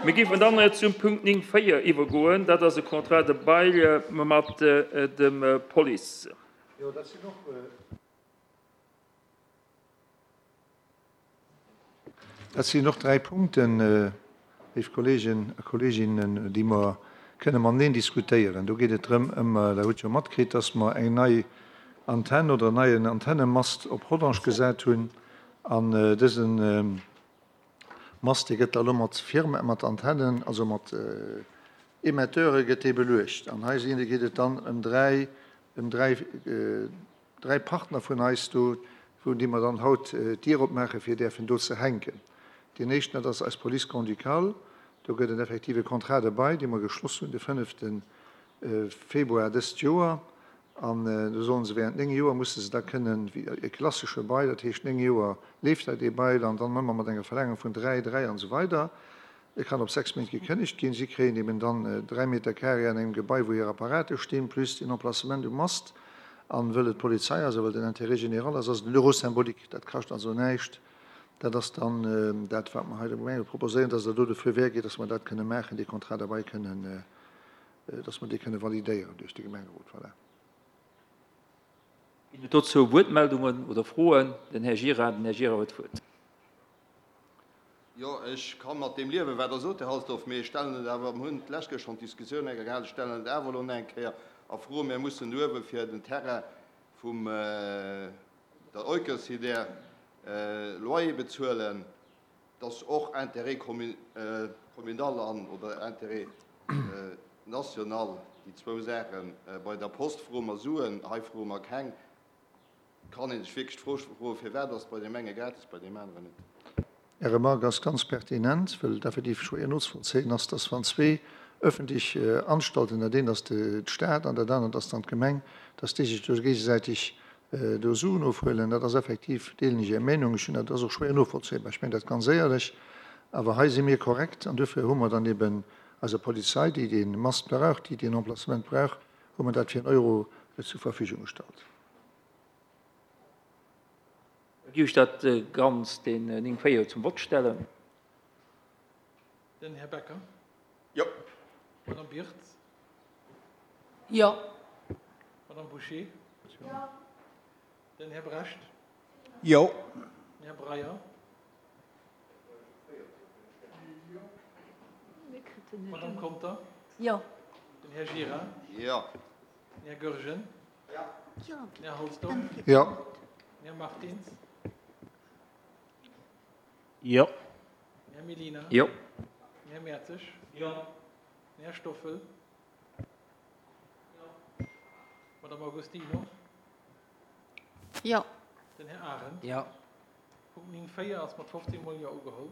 Mir géifen dann zum Punkt 9, 4 iwwergoen. Dat ass e Contrat de bail mat dem Police. Jo, dat sinn och. Dat sinn och dräi Punkten, léif Kolleegen a Kolleeginnen, déi mer kënne mateneen diskutéieren. Do geet et drëm, ëm, Der hutt jo matkritt, dass mer eng nei Antenn oder en neien Antennemast op Rodange gesat hunn. An dëse Mast, dee gëtt da elo mat Firme, mat Antennen, also mat Emetteure gëtt dee beluecht. An hei sinn, geet et dann ëm dräi, ëm dräi, dräi Partner vun eis do, vun deem mer dann haut d'Dier opmaachen, fir däerfen do ze hänken. Deen éischten, dat ass eis Police grand-ducale. Do gëtt et effektiv e Contrat de bail, dee mer geschloss hunn de fënnefte Februar dëst Joer. An do sollen se während 9 Joer, musse se da kënnen, wéi e klassesche Bail, dat heescht 9 Joer leeft dat ee Bail an dann ëmmer mat enger Verlängerung vun 3, 3 an esou weider. E kann op 6 Méint gekënnegt ginn. Si kréien eben dann 3 Meter carré an engem Gebai, wou hir Apparate stinn, plus den Emplacement um Mast. An wëll et d'Polizei ass a wëll den Intérêt général ass, ass et en Euro symbolique. Dat kascht also näischt. Dat ass dann dat, wat mer hei dem Gemengerot proposéieren, dass Der do de Feu vert gitt, dass mer dat kënne maachen, dee Contrat de bail kënnen, dass mer dee kënne validéieren duerch de Gemengerot. Voilà. Ginn et dozou Wuertmeldungen oder Froen? Den Här Gira, den Här Gira huet d'Wuert. Jo, ech ka mat deem liewen, wat Der sot, Här Halsdorf, mee ech stellen et awer, mir hunn d'lescht Kéier schonn d'Diskussioun eng Kéier gehat, ech stellen et awer elo nach eng Kéier a Fro, Mir mussen uewe fir den Terrain vum der Eucosider Loyer bezuelen. Et ass och Intérêt communal an oder Intérêt national, déi zwou Saachen. Bei der Post froe mer Suen, hei froe mer keng. Kann ee sech wierklech d'Fro froen, firwat ass et bei deem enge gratis, bei deem aneren net? Är Remarque ass ganz pertinent, wëll et effektiv schwéier nozevollzéien ass, dass wann zwee öffentlech Anstalten, dat eent ass d'Stad an dat anert ass dann d'Gemeng, dass déi sech do géigesäiteg do Suen ofhuelen. Dat ass effektiv, deelen ech Är Meenung, ech hunn dat ass och schwéier novollzéibar, ech mengen dat ganz éierlech. Awer hei si mir korrekt an duerfir hu mer dann eben eiser Polizei, déi dee Mast brauch, déi deen Emplacement brauch, hu mer dat fir en Euro zur Verfügung gestallt. Da géif ech dat Ganzt, deen 9, 4, zum Vott stellen. Den Här Becker. Jo. D'Madame Birtz. Jo. D'Madame Bouché. Jo. Den Här Brecht. Jo. Den Här Breyer. D'Madame Conter. Jo. Den Här Gira. Jo. Den Här Goergen. Jo. Den Här Halsdorf. Jo. Den Här Martins. Jo. Den Här Mellina. Jo. Den Här Mertzig. Jo. Den Här Stoffel. Jo. D'Madame Agostino. Jo. Den Här Arendt. Jo. Punkt 9, 4 ass mat 15 mol Jo ugeholl.